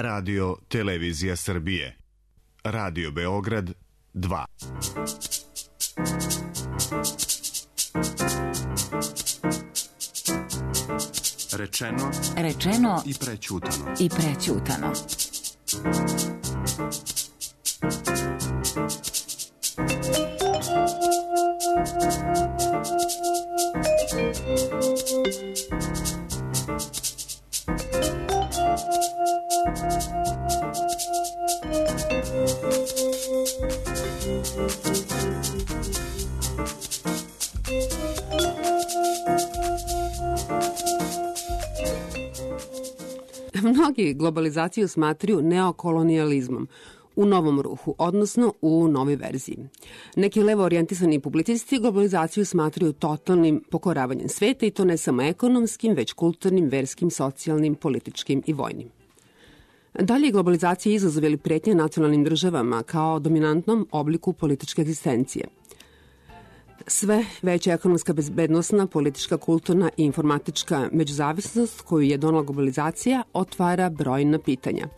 Radio Televizija Srbije. Radio Beograd 2. Rečeno i prećutano. Mnogi globalizaciju smatraju neokolonijalizmom u novom ruhu, odnosno u novoj verziji. Neki levo orijentisani publicisti globalizaciju smatraju totalnim pokoravanjem sveta i to ne samo ekonomskim, već kulturnim, verskim, socijalnim, političkim i vojnim. Dalje, globalizacija izazov ili pretnje nacionalnim državama kao dominantnom obliku političke egzistencije. Sve veća ekonomska, bezbednosna, politička, kulturna i informatička međuzavisnost koju je donela globalizacija otvara brojna pitanja.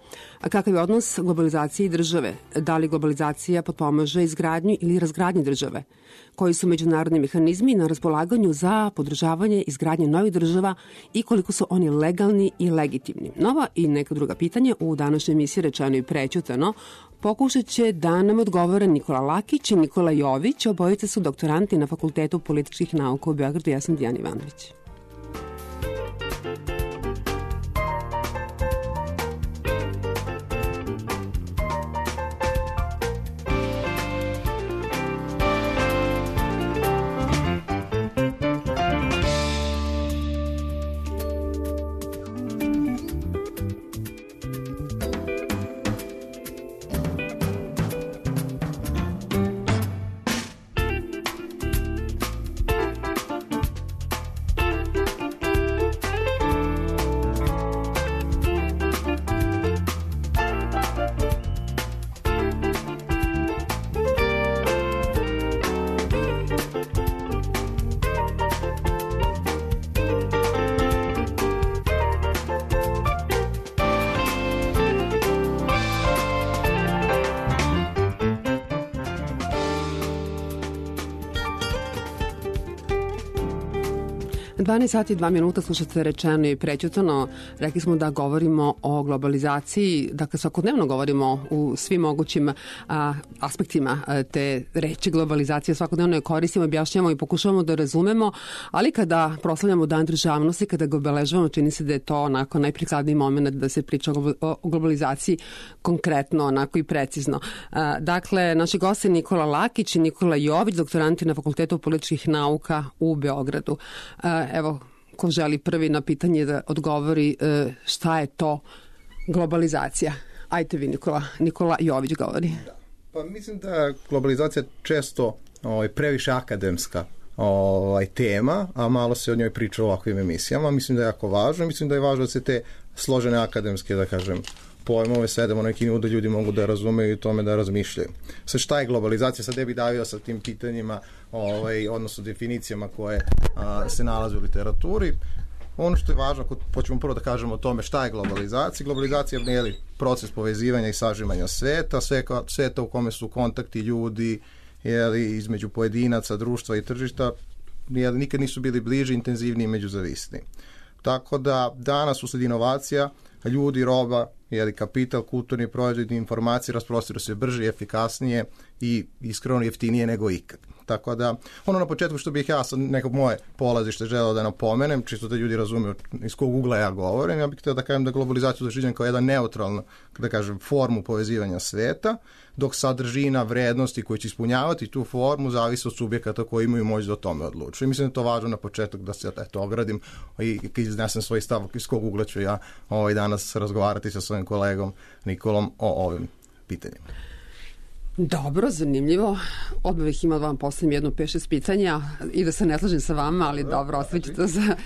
A kakav je odnos globalizacije i države? Da li globalizacija potpomaže izgradnju ili razgradnju države? Koji su međunarodni mehanizmi na raspolaganju za podržavanje izgradnje novih država i koliko su oni legalni i legitimni? Nova i neka druga pitanja u današnjoj emisiji Rečeno i prećutano pokušat će da nam odgovore Nikola Lakić i Nikola Jović. Obojice su doktoranti na Fakultetu političkih nauka u Beogradu. Ja sam Dijana Ivanović. Sati 2 minuta slušate Rečeno i prećutano. Rekli smo da govorimo o globalizaciji, dakle svakodnevno govorimo u svim mogućim aspektima te reči globalizacije, svakodnevno je koristimo, objašnjamo i pokušavamo da razumemo, ali kada proslavljamo Dan državnosti, kada ga obeležavamo, čini se da je to onako najprikladniji moment da se priča o globalizaciji konkretno, onako i precizno. Dakle, naši gosti Nikola Lakić i Nikola Jović, doktoranti na Fakultetu političkih nauka u Beogradu. Evo, ko želi prvi na pitanje da odgovori šta je to globalizacija? Ajte vi, Nikola Jović govori. Da. Pa mislim da je globalizacija često previše akademska tema, a malo se o njoj priča u ovakvim emisijama. Mislim da je jako važno. Mislim da je važno da se te složene akademske, da kažem, pojmove sedemo na neki nivo da ljudi mogu da razumeju i tome da razmišljaju. Sad šta je globalizacija? Sad ne bih davio sa tim pitanjima, odnosno definicijama koje se nalaze u literaturi. Ono što je važno, ako počnemo prvo da kažemo o tome šta je globalizacija. Globalizacija je proces povezivanja i sažimanja sveta, sveta u kome su kontakti ljudi između pojedinaca, društva i tržišta, nikad nisu bili bliži, intenzivniji i međuzavisni. Tako da danas usled inovacija ljudi, roba, kapital, kulturni proizvodi, informacije rasprostiru se brže i efikasnije i iskreno jeftinije nego ikad. Tako da, ono na početku što bih ja sa neko moje polazište želeo da napomenem, čisto da ljudi razumiju iz kog ugla ja govorim, ja bih htio da kažem da globalizaciju doživljam kao jedan neutralno, da kažem, formu povezivanja sveta, dok sadržina, vrednosti koji će ispunjavati tu formu zavisi od subjekata koji imaju moć da o tome odlučuju. I mislim da je to važno na početak da se ogradim i iznesem svoj stav iz kog ugla ću ja danas razgovarati sa svojim kolegom Nikolom o ovim pitanjima. Dobro, zanimljivo. Odmah bih imala vam postavim jedno 5-6 pitanja i da se ne slažem sa vama, ali dobro, ostavit ću to za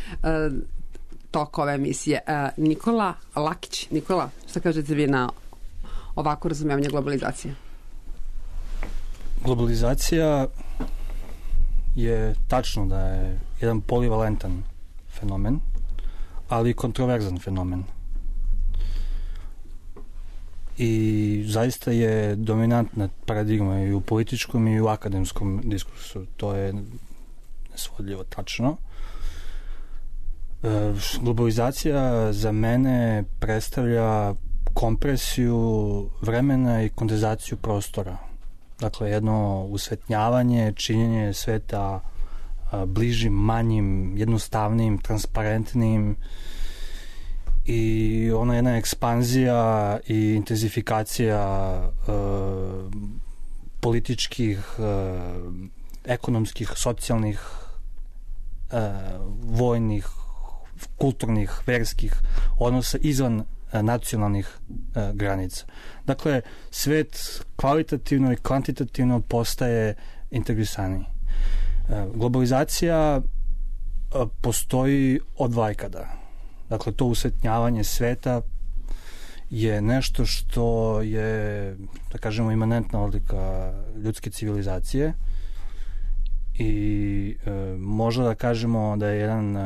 tok ove emisije. Nikola Lakić. Nikola, šta kažete vi na ovako razumevanje globalizacije? Globalizacija je tačno da je jedan polivalentan fenomen, ali kontroverzan fenomen. i zaista je dominantna paradigma i u političkom i u akademskom diskursu. To je nesvodljivo tačno. Globalizacija za mene predstavlja kompresiju vremena i kondenzaciju prostora. Dakle, jedno usvetnjavanje, činjenje sveta bližim, manjim, jednostavnim, transparentnim i ona jedna ekspanzija i intenzifikacija političkih, ekonomskih, socijalnih, vojnih, kulturnih, verskih odnosa izvan nacionalnih granica. Dakle, svet kvalitativno i kvantitativno postaje integrisaniji. Globalizacija postoji od vajkada. Dakle, to usvetnjavanje sveta je nešto što je, da kažemo, imanentna odlika ljudske civilizacije i možda da kažemo da je jedan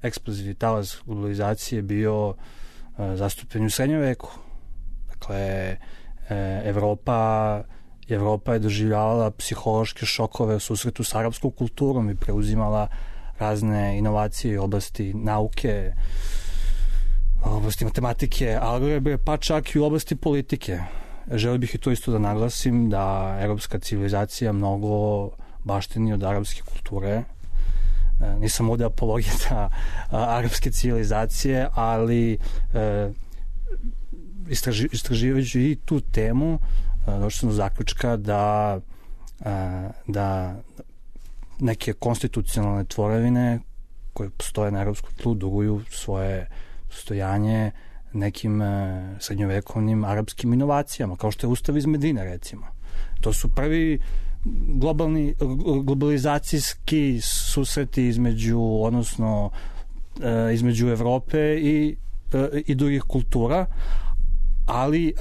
eksplozivni talas globalizacije bio zastupljen u srednjem veku. Dakle, Evropa je doživljavala psihološke šokove u susretu s arapskom kulturom i preuzimala razne inovacije u oblasti nauke, u oblasti matematike, algebre, pa čak i u oblasti politike. Želio bih i to isto da naglasim, da evropska civilizacija mnogo baštini od arapske kulture. Nisam ovde apologeta arapske civilizacije, ali istraživajući i tu temu došao sam do zaključka da neke konstitucionalne tvorevine koje postoje na evropskom tlu duguju svoje postojanje nekim srednjovekovnim arapskim inovacijama, kao što je Ustav iz Medine, recimo. To su prvi globalizacijski susreti između Evrope i drugih kultura, ali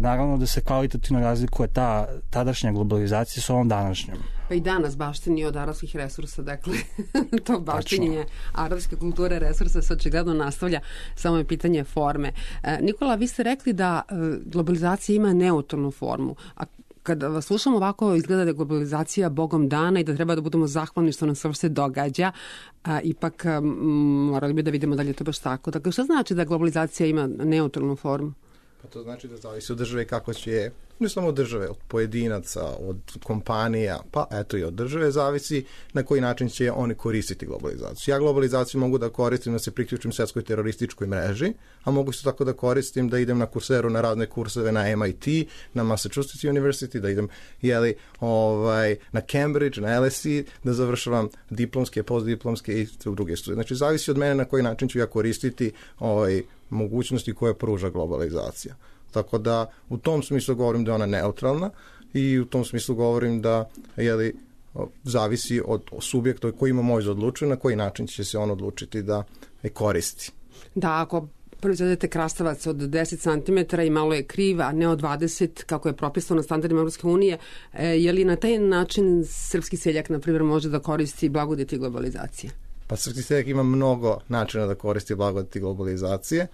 naravno da se kvalitativno razlikuje ta tadašnja globalizacija s ovom današnjom. Pa i danas baštini od arapskih resursa, dakle, to baštinjenje arapske kulture, resursa se očigledno nastavlja, samo je pitanje forme. Nikola, vi ste rekli da globalizacija ima neutralnu formu, a kada vas slušam ovako, izgleda da je globalizacija bogom dana i da treba da budemo zahvalni što nam se događa, ipak morali bi da vidimo da li je to baš tako. Dakle, šta znači da globalizacija ima neutralnu formu? Pa to znači da zavisi od države kako će, ne samo od države, od pojedinaca, od kompanija, pa eto i od države zavisi na koji način će oni koristiti globalizaciju. Ja globalizaciju mogu da koristim da se priključim svetskoj terorističkoj mreži, a mogu se tako da koristim da idem na Coursera na razne kurseve na MIT, na Massachusetts University, da idem na Cambridge, na LSE, da završavam diplomske, postdiplomske i druge studije. Znači, zavisi od mene na koji način ću ja koristiti mogućnosti koje pruža globalizacija. Tako da u tom smislu govorim da je ona neutralna i u tom smislu govorim da zavisi od subjekta koji ima moć da odlučuje na koji način će se on odlučiti da je koristi. Da, ako proizvedete krastavac od 10 cm i malo je kriv, a ne od 20, kako je propisano na standardima Evropske unije, je li na taj način srpski seljak, na primjer, može da koristi blagodeti globalizacije? Pa srpski seljak ima mnogo načina da koristi blagodeti globalizacije.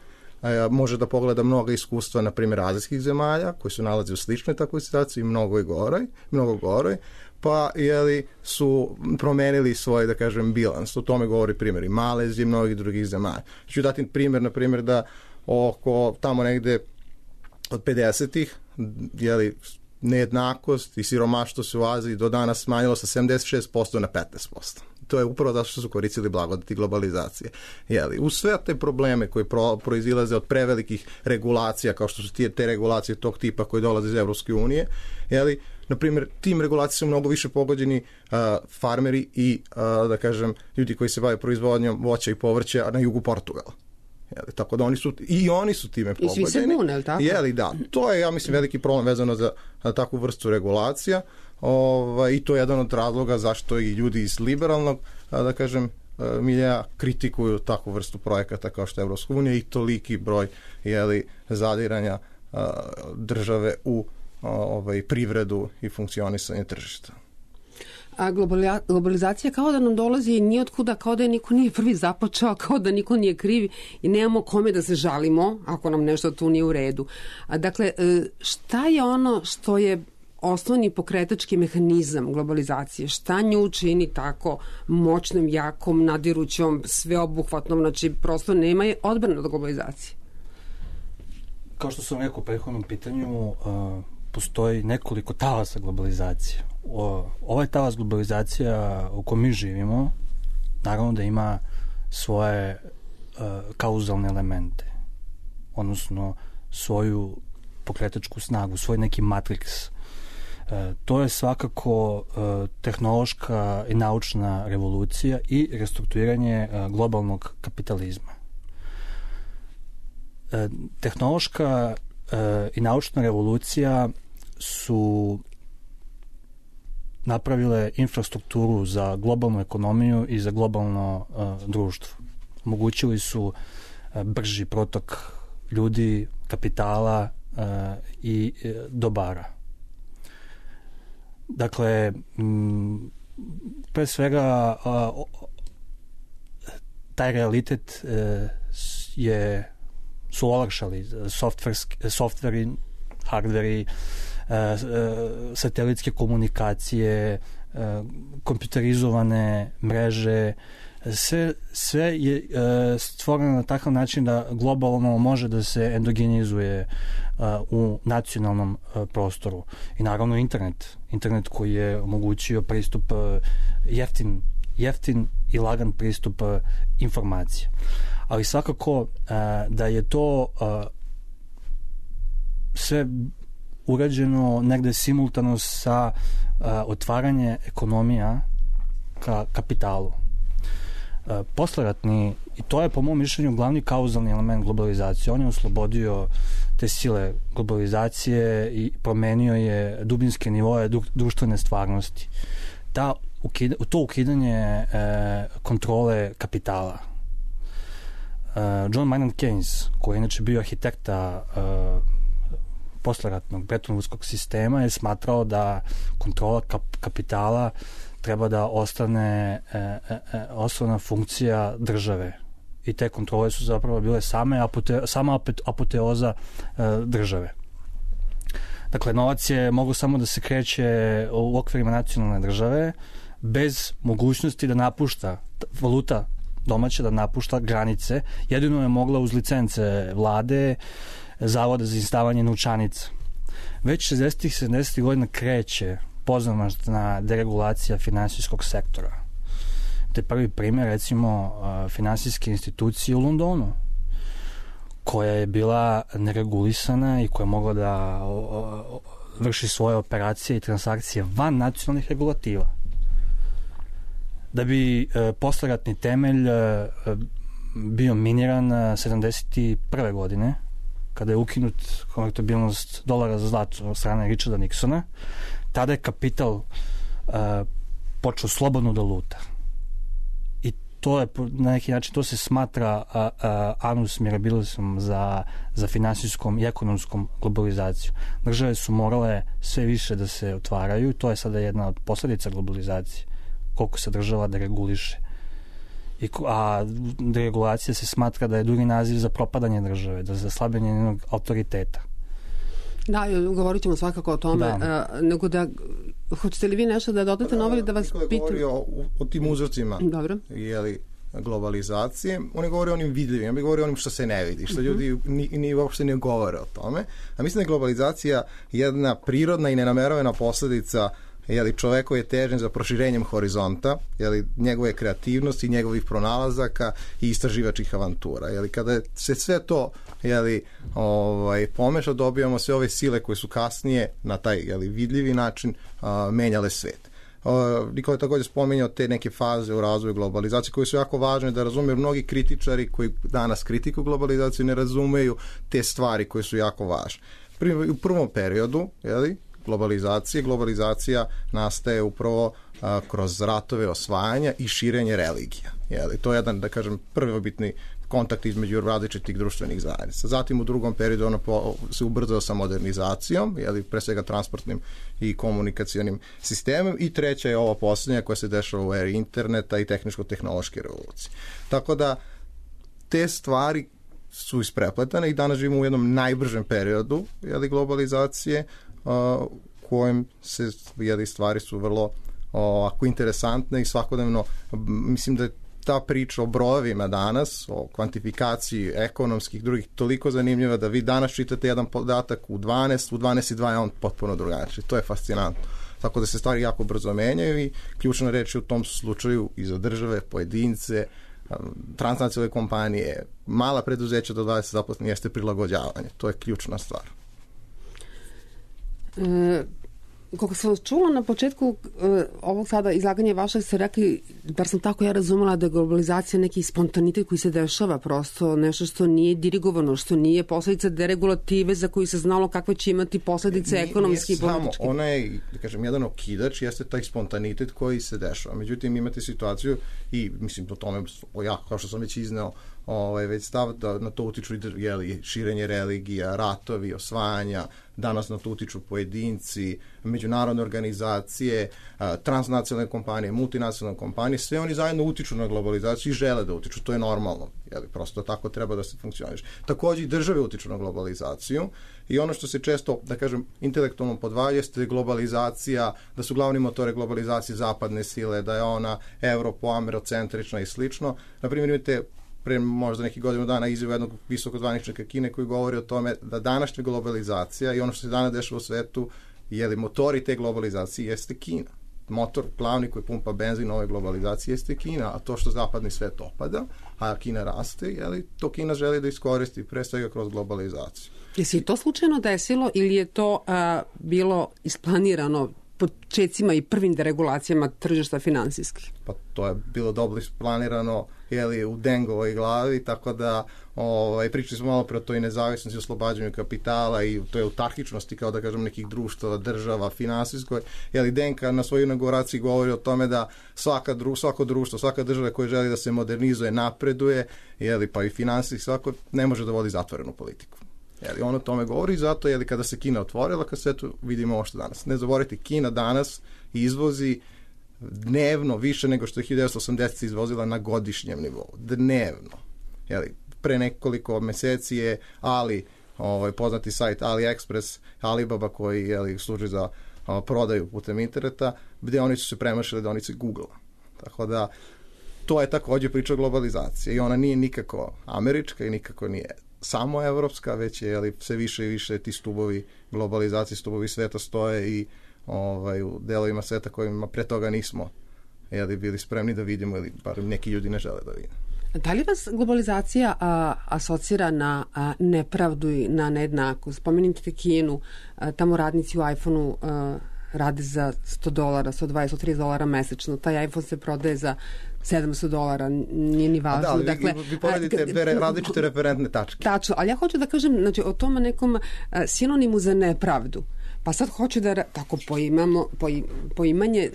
Može da pogleda mnoga iskustva, na primjer, azijskih zemalja, koji se nalaze u sličnoj takvoj situaciji i mnogo goroj, pa su promenili svoj, da kažem, bilans. O tome govori primjer i Malezije i mnogih drugih zemalja. Ću dati primjer, na primjer, da oko tamo negde od 50-ih, nejednakost i siromaštvo se u Aziji do danas smanjilo sa 76% na 15%. To je upravo zato što su koristili blagodeti globalizacije. Uz sve te probleme koji proizilaze od prevelikih regulacija, kao što su te regulacije tog tipa koje dolaze iz Evropske unije, na primjer, tim regulacijama su mnogo više pogođeni farmeri i, da kažem, ljudi koji se bave proizvodnjom voća i povrća na jugu Portugala. Tako da oni su time pogođeni. I svi se bune, li tako? Da. To je, ja mislim, veliki problem vezano za takvu vrstu regulacija i to je jedan od razloga zašto i ljudi iz liberalnog, da kažem, milija kritikuju takvu vrstu projekata kao što je Evropska unija i toliki broj zadiranja države u privredu i funkcionisanje tržišta. A globalizacija kao da nam dolazi ni otkuda, kao da je niko nije prvi započeo, kao da niko nije krivi i nemamo kome da se žalimo ako nam nešto tu nije u redu. Dakle, šta je ono što je osnovni pokretački mehanizam globalizacije? Šta nju čini tako moćnom, jakom, nadirućom, sveobuhvatnom? Znači, prosto nema je odbrane od globalizacije. Kao što sam rekao u prethodnom pitanju, postoji nekoliko talasa globalizacije. Ovaj talas globalizacija u kojem mi živimo, naravno da ima svoje kauzalne elemente, odnosno svoju pokretačku snagu, svoj neki matriks. To je svakako tehnološka i naučna revolucija i restrukturiranje globalnog kapitalizma. Tehnološka i naučna revolucija su napravile infrastrukturu za globalnu ekonomiju i za globalno društvo. Omogućili su brži protok ljudi, kapitala i dobara. Dakle, pre svega taj realitet su olakšali softveri, hardveri, satelitske komunikacije, kompjuterizovane mreže, sve je stvoreno na takav način da globalno može da se endogenizuje u nacionalnom prostoru. I naravno internet koji je omogućio pristup jeftin i lagan pristup informacija. Ali svakako da je to sve urađeno negde simultano sa otvaranje ekonomija ka kapitalu. Posleratni, i to je po mom mišljenju glavni kauzalni element globalizacije, on je oslobodio te sile globalizacije i promenio je dubinske nivoje društvene stvarnosti. To ukidanje kontrole kapitala. John Maynard Keynes, koji je inače bio arhitekta posleratnog Bretton-Woodskog sistema, je smatrao da kontrola kapitala treba da ostane osnovna funkcija države. I te kontrole su zapravo bile sama apoteoza države. Dakle, novac je mogu samo da se kreće u okvirima nacionalne države bez mogućnosti da napušta valuta domaća, da napušta granice. Jedino je mogla uz licence vlade, zavoda za izdavanje novčanica. Već 60. godina kreće pozamašna deregulacija finansijskog sektora. To je prvi primjer, recimo, finansijske institucije u Londonu, koja je bila neregulisana i koja je mogla da vrši svoje operacije i transakcije van nacionalnih regulativa. Da bi posleratni temelj bio miniran 71. godine, kada je ukinut konvertibilnost dolara za zlato od strane Richarda Nixona, tada je kapital počeo slobodno da luta. I to je, na neki način, to se smatra annus mirabilisum za finansijskom i ekonomskom globalizaciju. Države su morale sve više da se otvaraju i to je sada jedna od posledica globalizacije. Koliko se država dereguliše. A deregulacija se smatra da je drugi naziv za propadanje države, za slabljenje njenog autoriteta. Da, govorit ćemo svakako o tome. Nego da, hoćete li vi nešto da dodate na ovo ili da vas pitam? Govori o tim uzrocima. Dobro. Globalizacije. On je govori o onim vidljivim, on je govori o onim što se ne vidi, što ljudi ni uopšte ne govore o tome. A mislim da je globalizacija jedna prirodna i nenamerovana posledica čovekove težnje za proširenjem horizonta, njegove kreativnosti, njegovih pronalazaka i istraživačkih avantura. Kada se sve to pomeša, dobijamo sve ove sile koje su kasnije na taj vidljivi način menjale svet. Nikola je također spominjao te neke faze u razvoju globalizacije koje su jako važne da razumeju. Mnogi kritičari koji danas kritikuju globalizaciju ne razumeju te stvari koje su jako važne. U prvom periodu, globalizacija nastaje upravo kroz ratove osvajanja i širenje religija. To je jedan, da kažem, prvobitni kontakt između različitih društvenih zajednica. Zatim u drugom periodu ono se ubrzao sa modernizacijom, pre svega transportnim i komunikacionim sistemom, i treća je ova posljednja koja se dešava u eri interneta i tehničko-tehnološke revolucije. Tako da te stvari su isprepletane i danas živimo u jednom najbržem periodu globalizacije, kojem se stvari su vrlo interesantne i svakodnevno, mislim da je ta priča o brojevima danas, o kvantifikaciji ekonomskih, drugih, toliko zanimljiva da vi danas čitate jedan podatak u 12:2 je on potpuno drugačiji. To je fascinantno. Tako da se stvari jako brzo menjaju i ključna reč je u tom slučaju i za države, pojedince, transnacionalne kompanije, mala preduzeća do 20 zaposlenih jeste prilagođavanje. To je ključna stvar. Kako sam čula na početku ovog sada izlaganja vašeg, ste rekli, bar sam tako ja razumela, da je globalizacija neki spontanitet koji se dešava, prosto nešto što nije dirigovano, što nije posledica deregulative za koju se znalo kakve će imati posledice ekonomske i političke. Ona je, da kažem, jedan okidač, jeste taj spontanitet koji se dešava. Međutim, imate situaciju i, mislim, o tome, kao što sam već izneo, već stav da na to utiču širenje religija, ratovi, osvajanja, danas na to utiču pojedinci, međunarodne organizacije, transnacionalne kompanije, multinacionalne kompanije, sve oni zajedno utiču na globalizaciju i žele da utiču, to je normalno, prosto tako treba da se funkcioniše. Također i države utiču na globalizaciju i ono što se često, da kažem, intelektualno podvalja jeste globalizacija, da su glavni motori globalizacije zapadne sile, da je ona europo-amerocentrična i slično. Naprimjer, imate pre možda nekih godinu dana izjavu jednog visokozvaničnika Kine koji govori o tome da današnja globalizacija i ono što se danas dešava u svetu, motori te globalizacije jeste Kina. Motor glavni koji pumpa benzin ove globalizacije jeste Kina, a to što zapadni svet opada, a Kina raste, to Kina želi da iskoristi pre svega kroz globalizaciju. Je se to slučajno desilo ili je to bilo isplanirano počecima i prvim deregulacijama tržišta finansijskih? Pa to je bilo dobro isplanirano u Dengovoj glavi, tako da pričali smo malo pre o toj nezavisnosti, oslobađanju kapitala i toj autarkičnosti, kao da kažem, nekih društava, država, finansijskoj. Denka na svojoj inauguraciji govori o tome da svako društvo, svaka država koja želi da se modernizuje, napreduje, pa i finansijski, svako ne može da vodi zatvorenu politiku. On o tome govori, zato kada se Kina otvorila, kad sve tu vidimo ovo što danas. Ne zaboravite, Kina danas izvozi dnevno više nego što je 1980 izvozila na godišnjem nivou. Dnevno. Pre nekoliko meseci je poznati sajt AliExpress, Alibaba koji služi za prodaju putem interneta, gde oni su se premašili deonice Google-a. Tako da to je također priča globalizacije i ona nije nikako američka i nikako nije samo evropska, već je sve više i više ti stubovi globalizacije, stubovi sveta stoje i u delovima sveta kojima pre toga nismo bili spremni da vidimo ili bar neki ljudi ne žele da vide. Da li vas globalizacija asocira na nepravdu i na nejednakost? Spomenite Kinu, tamo radnici u iPhone-u rade za $100, $120, $130 mesečno. Taj iPhone se prodaje za $700, nije ni važno. Da, vi poredite različite referentne tačke. Tačno, ali ja hoću da kažem o tome nekom sinonimu za nepravdu. Pa sad hoću da tako poimanje,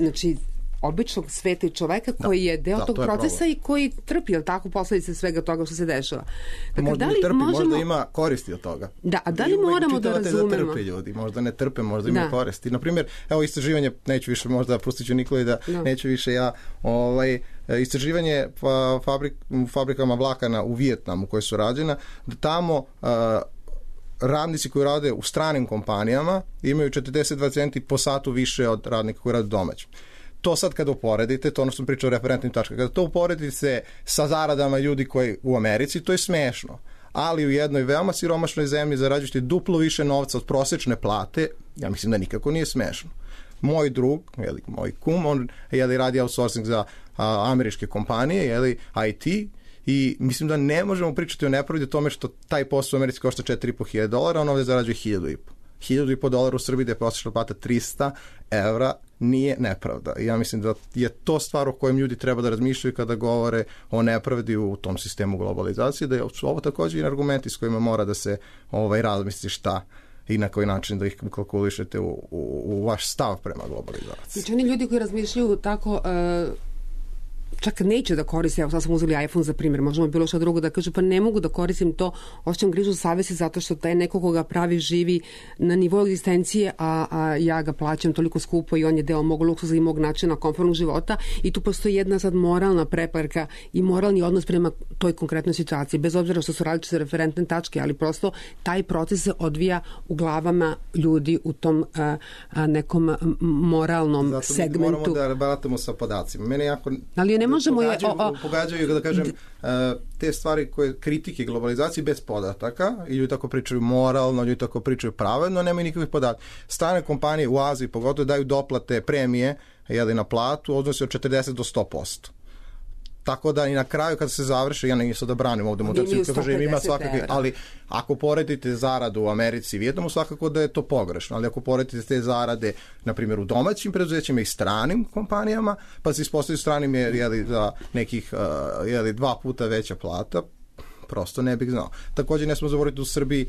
običnog sveta i čoveka koji je deo tog procesa i koji trpi, tako, posljedice svega toga što se dešava. Dakle, možda ne trpi, možda ima koristi od toga. Da, a da li moramo da razumemo? Da trpe ljudi, možda ne trpe, možda ima koristi. Naprimjer, istraživanje, neću više, možda pustit ću Nikoli da neću više ja, istraživanje fabrikama vlakana u Vijetnamu koje su rađena, da tamo radnici koji rade u stranim kompanijama imaju 42 centi po satu više od radnika koji rade domaćim. To sad kada uporedite, to ono što sam pričao o referentnim tačkama, kada to uporedite sa zaradama ljudi koji u Americi, to je smešno. Ali u jednoj veoma siromašnoj zemlji zarađujete duplo više novca od prosečne plate, ja mislim da nikako nije smešno. Moj drug, moj kum, on radi outsourcing za američke kompanije, IT, i mislim da ne možemo pričati o nepravdi o tome što taj posao u Americi košta $4.500, on ovdje zarađuje $1.500. $1.500 u Srbiji da je prosječna plata €300, nije nepravda. I ja mislim da je to stvar o kojem ljudi treba da razmišljaju kada govore o nepravdi u tom sistemu globalizacije, da su ovo također i argumenti s kojima mora da se razmisli šta i na koji način da ih kalkulišete u vaš stav prema globalizaciji. Znači, oni ljudi koji razmišljaju tako čak neće da koriste, evo sad smo uzeli iPhone za primjer, možemo bilo što drugo da kažu, pa ne mogu da koristim to, osjećam grižu savesti zato što taj neko koga pravi živi na nivou egzistencije, a ja ga plaćam toliko skupo i on je deo mog luksuza i mog načina komfortnog života i tu postoji jedna sad moralna preparka i moralni odnos prema toj konkretnoj situaciji, bez obzira što su različite referentne tačke, ali prosto taj proces se odvija u glavama ljudi u tom nekom moralnom zato segmentu. Zato moramo da baratamo sa podacima. Mene jako ali ne možemo pogađaju, da kažem, te stvari koje kritike globalizacije bez podataka, i ljudi tako pričaju moralno, ljudi tako pričaju pravedno, nemaju nikakvih podataka. Strane kompanije u Aziji pogotovo daju doplate, premije na platu, odnosi od 40 do 100%. Tako da i na kraju kad se završi, ja nisam da branim ovdje mutaciju, ima svakakve, ali ako poredite zaradu u Americi i Vijetnamu, svakako da je to pogrešno, ali ako poredite te zarade, na primjer u domaćim preduzećima i stranim kompanijama, pa se ispostavljaju stranim je za nekih 2 puta veća plata, prosto ne bih znao. Također ne smo zaboraviti u Srbiji,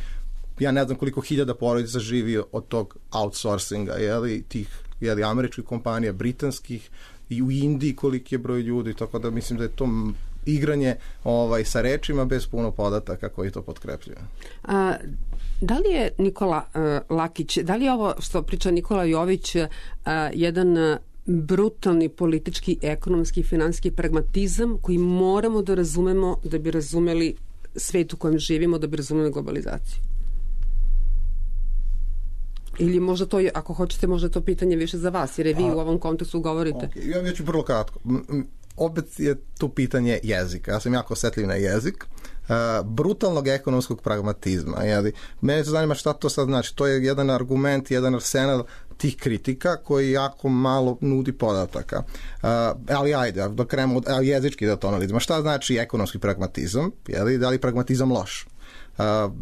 ja ne znam koliko hiljada porodica živi od tog outsourcinga, tih američkih kompanija, britanskih, i u Indiji koliki je broj ljudi, tako da mislim da je to igranje sa rečima bez puno podataka koji to potkrepljuju. Da li je Nikola Lakić, da li je ovo što priča Nikola Jović jedan brutalni politički, ekonomski, finansijski pragmatizam koji moramo da razumemo da bi razumeli svet u kojem živimo, da bi razumeli globalizaciju? Ili možda to, ako hoćete, možda to pitanje više za vas, jer je vi u ovom kontekstu govorite. Okay. Ja ću vrlo kratko. Opet je tu pitanje jezika. Ja sam jako osjetljiv na jezik. Brutalnog ekonomskog pragmatizma. Mene se zanima šta to sad znači. To je jedan argument, jedan arsenal tih kritika koji jako malo nudi podataka. Ali ajde, da krenemo jezički da to analizimo. Šta znači ekonomski pragmatizam? Da li pragmatizam loš?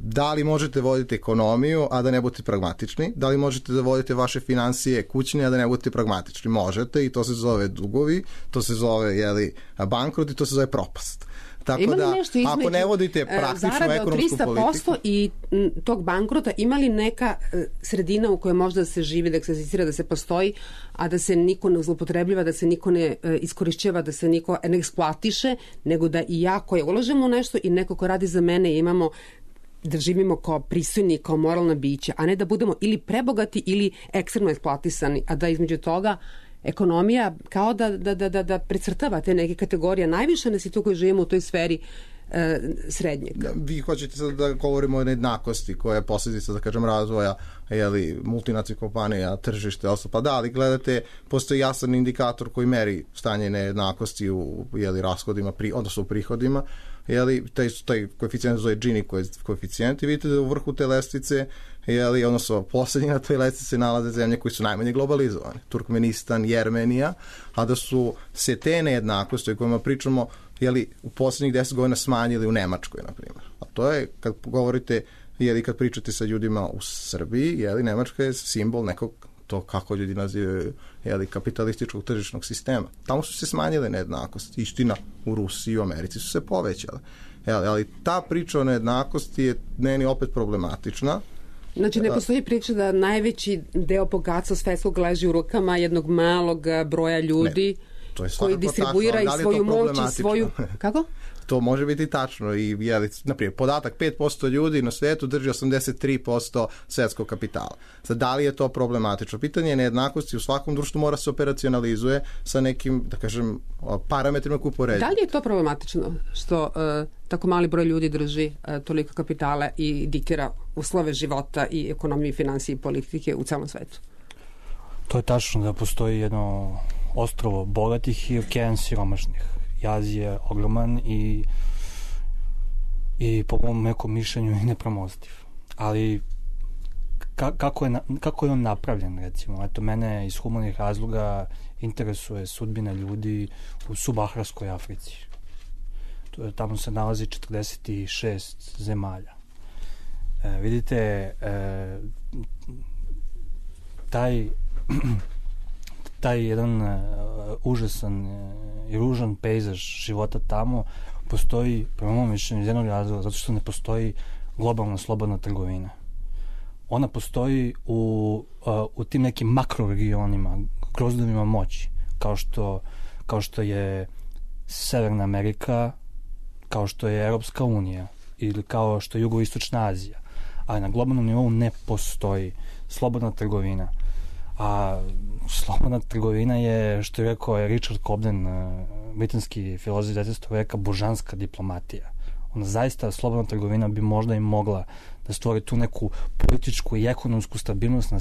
Da li možete voditi ekonomiju, a da ne budete pragmatični? Da li možete da vodite vaše financije kućne, a da ne budete pragmatični? Možete, i to se zove dugovi, to se zove bankrot i to se zove propast. Tako da, ako ne vodite praktičnu ekonomsku politiku... 300% i tog bankrota, ima li neka sredina u kojoj možda se živi, da egzistira, da se postoji, a da se niko ne zloupotrebljava, da se niko ne iskorišćava, da se niko ne eksploatiše, nego da i ja koja ulažem u nešto i neko ko radi za mene imamo da živimo kao pristojni, kao moralna bića, a ne da budemo ili prebogati ili ekstremno eksploatisani, a da između toga ekonomija kao da precrtava te neke kategorije. Najviše nas je tu koji živimo u toj sferi srednjeg. Vi hoćete sad da govorimo o nejednakosti koja je posljedica, da kažem, razvoja multinacionalnih kompanija, tržište, pa da, ali gledate, postoji jasan indikator koji meri stanje nejednakosti u rashodima, odnosno u prihodima, taj koeficijent zove Gini koeficijent, i vidite da u vrhu te lestvice, odnosno posljednji na toj lestvici nalaze zemlje koji su najmanje globalizovane, Turkmenistan, Jermenija, a da su se te nejednakosti o kojima pričamo u posljednjih 10 godina smanjili u Nemačkoj, na primjer. A to je, kad govorite, kad pričate sa ljudima u Srbiji, Nemačka je simbol nekog, to kako ljudi nazivaju, kapitalističkog tržišnog sistema. Tamo su se smanjile nejednakosti. Istina, u Rusiji i u Americi su se povećale. Ali ta priča o nejednakosti je meni opet problematična. Znači, ne postoji priča da najveći deo bogatstva svetskog leži u rukama jednog malog broja ljudi koji distribuira i svoju moć i svoju... Kako? To može biti tačno i, naprimjer, podatak 5% ljudi na svijetu drži 83% svjetskog kapitala. Sad, da li je to problematično? Pitanje nejednakosti u svakom društvu mora se operacionalizuje sa nekim, da kažem, parametrima koji upoređuju. Da li je to problematično što tako mali broj ljudi drži toliko kapitala i diktira uslove života i ekonomiju, finansije i politike u celom svetu? To je tačno da postoji jedno ostrvo bogatih i okean siromašnih. Jaz je ogroman i po mom nekom mišljenju i nepremostiv. Ali kako je on napravljen, recimo? Eto, mene iz humanih razloga interesuje sudbina ljudi u subsaharskoj Africi. Tamo se nalazi 46 zemalja. Vidite, taj jedan užasan i ružan pejzaž života tamo postoji, prema mom mišljenju, iz jednog razloga, zato što ne postoji globalna slobodna trgovina. Ona postoji u tim nekim makroregionima, grozdovima moći, kao što je Severna Amerika, kao što je Europska unija ili kao što je Jugoistočna Azija. Ali na globalnom nivou ne postoji slobodna trgovina. A slobodna trgovina je, što je rekao Richard Cobden, britanski filozof 19. veka, božanska diplomatija. Ona zaista, slobodna trgovina bi možda i mogla da stvori tu neku političku i ekonomsku stabilnost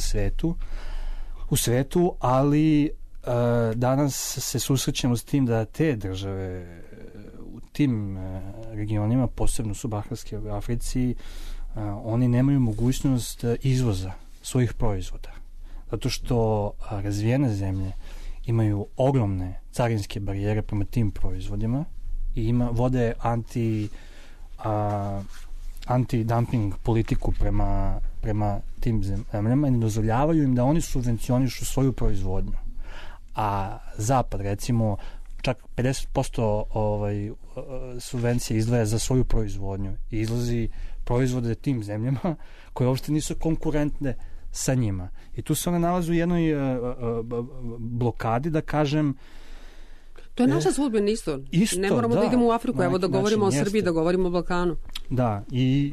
u svetu, ali danas se susrećemo s tim da te države u tim regionima, posebno subsaharske u Africi, oni nemaju mogućnost izvoza svojih proizvoda. Zato što razvijene zemlje imaju ogromne carinske barijere prema tim proizvodima i vode anti-dumping politiku prema tim zemljama i ne dozvoljavaju im da oni subvencionišu svoju proizvodnju. A Zapad, recimo, čak 50% subvencije izdvaja za svoju proizvodnju i izlazi proizvode tim zemljama koje uopšte nisu konkurentne sa njima. I tu se one nalaze u jednoj blokadi, da kažem. To je naša sudbina isto. Ne moramo da idemo u Afriku, evo da govorimo o Srbiji, da govorimo o Balkanu. Da, i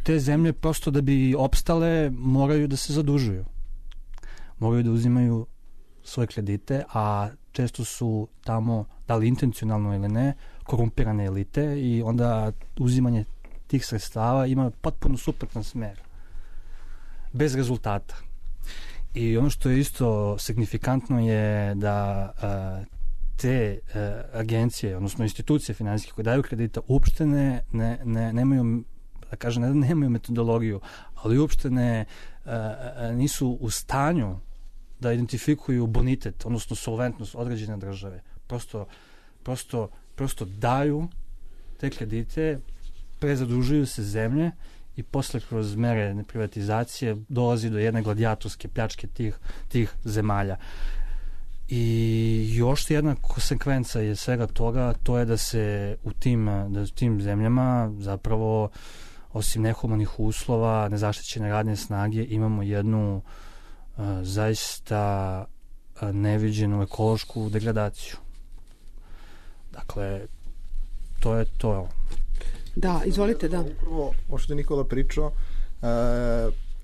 te zemlje prosto da bi opstale moraju da se zadužuju. Moraju da uzimaju svoje kredite, a često su tamo, da li intencionalno ili ne, korumpirane elite i onda uzimanje tih sredstava ima potpuno suprotan smer. Bez rezultata. I ono što je isto signifikantno je da te agencije, odnosno institucije finansijske koje daju kredita, uopšte nemaju, da kažem, ne nemaju metodologiju, ali uopšte nisu u stanju da identifikuju bonitet, odnosno solventnost određene države. Prosto daju te kredite, prezadužuju se zemlje i posle kroz mere privatizacije dolazi do jedne gladijatorske pljačke tih zemalja. I još jedna konsekvenca je svega toga, to je da se u tim zemljama zapravo, osim nehumanih uslova, nezaštićene radne snage, imamo jednu zaista neviđenu ekološku degradaciju. Dakle, to je to. Da, izvolite, da. Upravo, ovo što je Nikola pričao,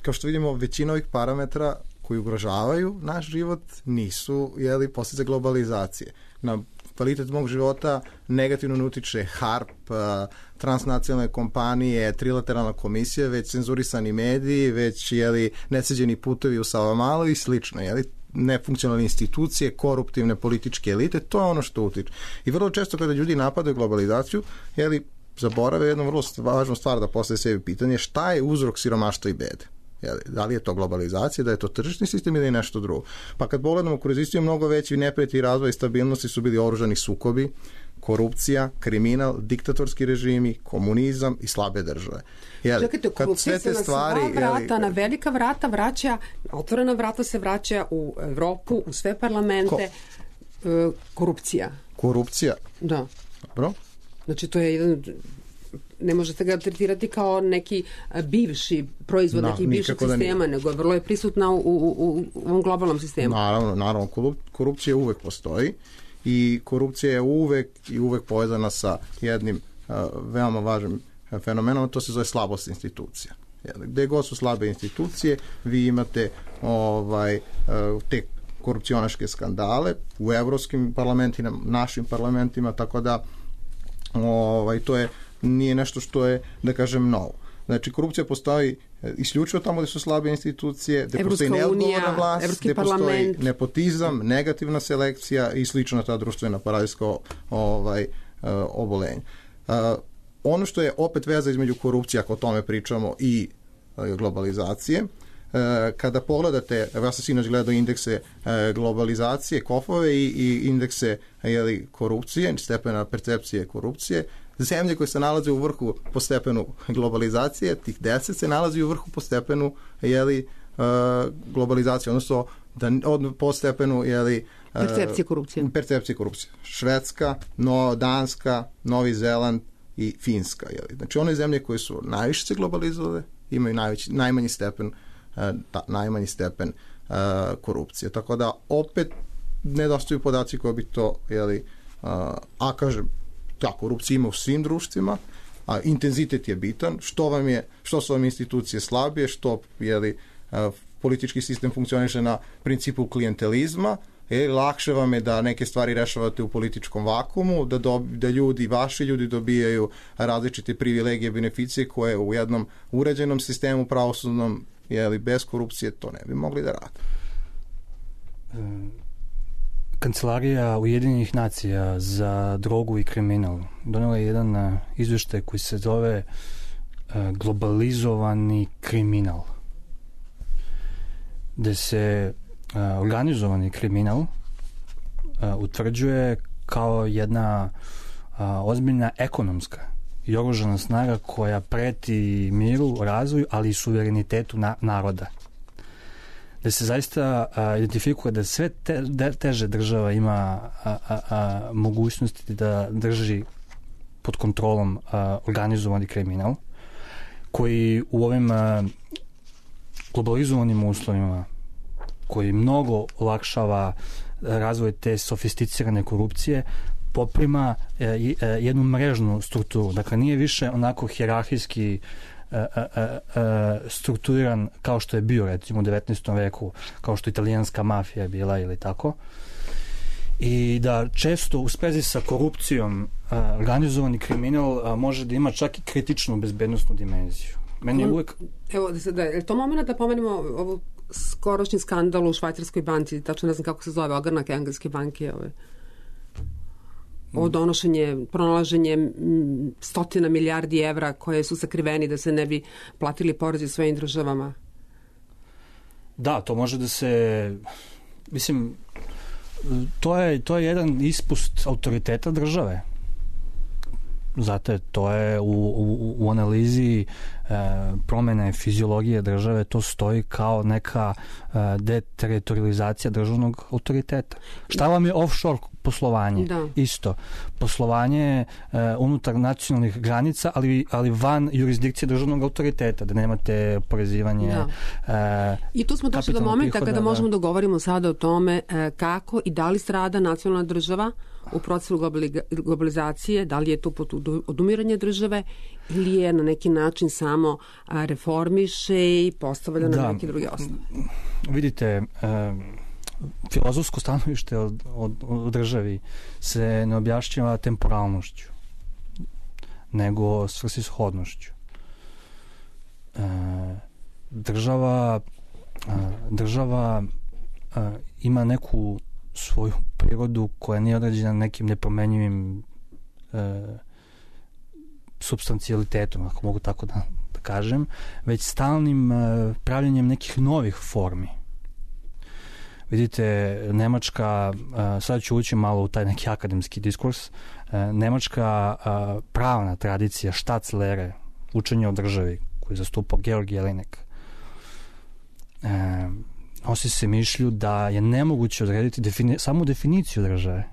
kao što vidimo, većina ovih parametra koji ugrožavaju naš život nisu posljedice globalizacije. Na kvalitet mog života negativno ne utiče HARP, transnacionalne kompanije, trilateralna komisija, već cenzurisani mediji, već neseđeni putevi u Savamalo i slično. Nefunkcionalne institucije, koruptivne političke elite, to je ono što utiče. I vrlo često kada ljudi napadaju globalizaciju, zaborave jednu vrlo važnu stvar da postave sebi pitanje šta je uzrok siromaštva i bede. Da li je to globalizacija, da je to tržišni sistem ili nešto drugo. Pa kad pogledamo kroz istoriju, mnogo veći neprijatelji razvoja i stabilnosti su bili oružani sukobi, korupcija, kriminal, diktatorski režimi, komunizam i slabe države. Čekajte, korupcija se na sva vrata, na velika vrata vraća, otvorena vrata se vraća u Evropu, u sve parlamente. Korupcija. Korupcija? Da. Dobro. Znači, to je jedan... Ne možete ga tretirati kao neki bivši proizvod, neki bivšeg sistema, nego vrlo je prisutna u ovom globalnom sistemu. Naravno, korupcija uvek postoji i korupcija je uvek povezana sa jednim veoma važnim fenomenom, to se zove slabost institucija. Gde god su slabe institucije, vi imate te korupcionaške skandale u evropskim parlamentima, našim parlamentima, tako da to nije nešto što je, da kažem, novo. Znači, korupcija postoji isključivo tamo gde su slabe institucije, gde postoji neodgovorna vlast, gde postoji nepotizam, negativna selekcija i slično ta društvena parazitska obolenja. Ono što je opet veza između korupcije, ako o tome pričamo, i globalizacije, kada pogledate, ja sam sinoć gledao indekse globalizacije, KOF-ove i indekse korupcije, stepena percepcije korupcije, zemlje koje se nalaze u vrhu po stepenu globalizacije, tih 10 se nalazi u vrhu po stepenu globalizacije, odnosno po stepenu percepcije korupcije. Švedska, Danska, Novi Zeland i Finska. Znači one zemlje koje su najviše se globalizovale imaju najmanji stepen korupcije. Tako da opet nedostaju podaci koji bi to a kažem, ta korupcija ima u svim društvima, a intenzitet je bitan, što su vam institucije slabije, što politički sistem funkcioniše na principu klijentelizma, lakše vam je da neke stvari rešavate u političkom vakumu, da vaši ljudi dobijaju različite privilegije, beneficije koje u jednom uređenom sistemu pravosudnom, bez korupcije to ne bi mogli da rade. Kancelarija Ujedinjenih nacija za drogu i kriminal donela je jedan izveštaj koji se zove globalizovani kriminal, gde se organizovani kriminal utvrđuje kao jedna ozbiljna ekonomska i oružana snaga koja preti miru, razvoju, ali i suverenitetu naroda. Da se zaista identifikuje da sve teže država ima mogućnosti da drži pod kontrolom organizovani kriminal, koji u ovim globalizovanim uslovima, koji mnogo olakšava razvoj te sofisticirane korupcije, poprima jednu mrežnu strukturu. Dakle, nije više onako hijerarhijski strukturiran kao što je bio, recimo, u 19. veku, kao što italijanska mafija bila ili tako. I da često u sprezi sa korupcijom organizovani kriminal može da ima čak i kritičnu bezbednosnu dimenziju. Meni je uvek... Evo, je to moment da pomenemo ovu skorošnji skandal u švajcarskoj banci, tačno ne znam kako se zove, ogranak engleske banke, o donošenje, pronalaženje stotina milijardi evra koje su sakriveni da se ne bi platili porezi svojim državama. Da, to može da se... Mislim, to je jedan ispust autoriteta države. Zato to je u analizi promene fiziologije države, to stoji kao neka deteritorializacija državnog autoriteta. Šta vam je offshore poslovanje? Da. Isto. Poslovanje unutar nacionalnih granica, ali van jurisdikcije državnog autoriteta, da nemate porezivanje. Da. I tu smo došli do momenta kada možemo da govorimo sada o tome kako i da li strada nacionalna država u procesu globalizacije, da li je to odumiranje države ili je na neki način samo reformiše i postavlja na neki drugi osnov. Vidite, filozofsko stanovište o državi se ne objašnjava temporalnošću, nego svrsishodnošću. Država ima neku svoju prirodu koja nije određena nekim nepromenjivim supstancijalitetom, ako mogu tako da kažem, već stalnim pravljenjem nekih novih formi. Vidite, Nemačka, sad ću ući malo u taj neki akademski diskurs, nemačka pravna tradicija Staatslehre, učenje o državi, koju zastupao Georg Jelinek, nosi se mišlju da je nemoguće odrediti samu definiciju države.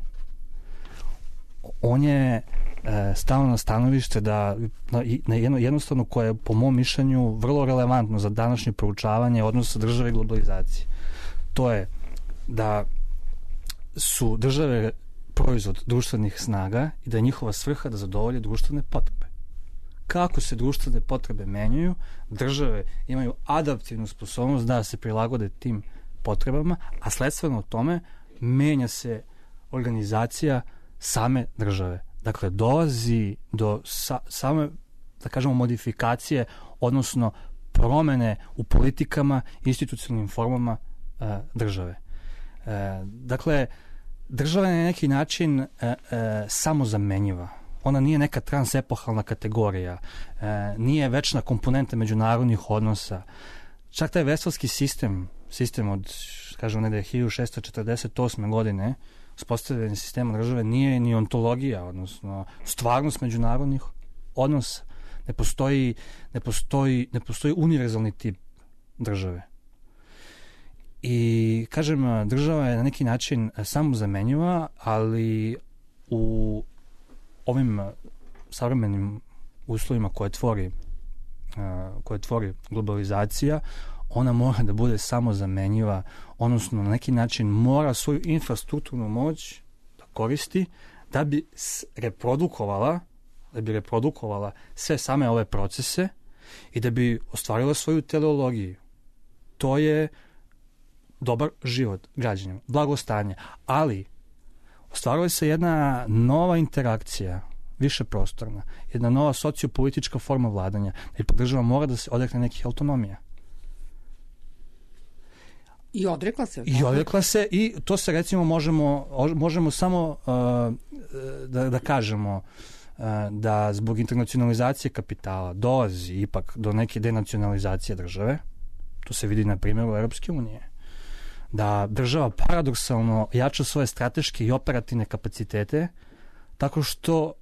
On je stavno na stanovište da jednostavno koje je po mom mišljenju vrlo relevantno za današnje proučavanje odnosa države i globalizacije. To je da su države proizvod društvenih snaga i da je njihova svrha da zadovolje društvene potrebe. Kako se društvene potrebe menjaju, države imaju adaptivnu sposobnost da se prilagode tim potrebama, a sledstveno tome menja se organizacija same države. Dakle, dolazi do same, da kažemo, modifikacije, odnosno promene u politikama i institucionalnim formama države. Dakle, država je na neki način samozamenjiva. Ona nije neka transepohalna kategorija, nije večna komponenta međunarodnih odnosa. Čak taj vestalski sistem od, kažemo, negde 1648. godine, uspostavljanje sistema države, nije ni ontologija, odnosno stvarnost međunarodnih odnosa. Ne postoji univerzalni tip države. I, kažem, država je na neki način samozamenjiva, ali u ovim savremenim uslovima koje tvori globalizacija, ona mora da bude samozamenjiva, odnosno na neki način mora svoju infrastrukturnu moć da koristi da bi reprodukovala sve same ove procese i da bi ostvarila svoju teleologiju. To je dobar život građanima, blagostanje. Ali ostvarila se jedna nova interakcija, više prostorna, jedna nova sociopolitička forma vladanja, da i država mora da se odrekne nekih autonomija. I odrekla se. I odrekla se i to se recimo možemo samo da kažemo da zbog internacionalizacije kapitala dolazi ipak do neke denacionalizacije države. To se vidi na primjeru Europske unije. Da država paradoksalno jača svoje strateške i operativne kapacitete tako što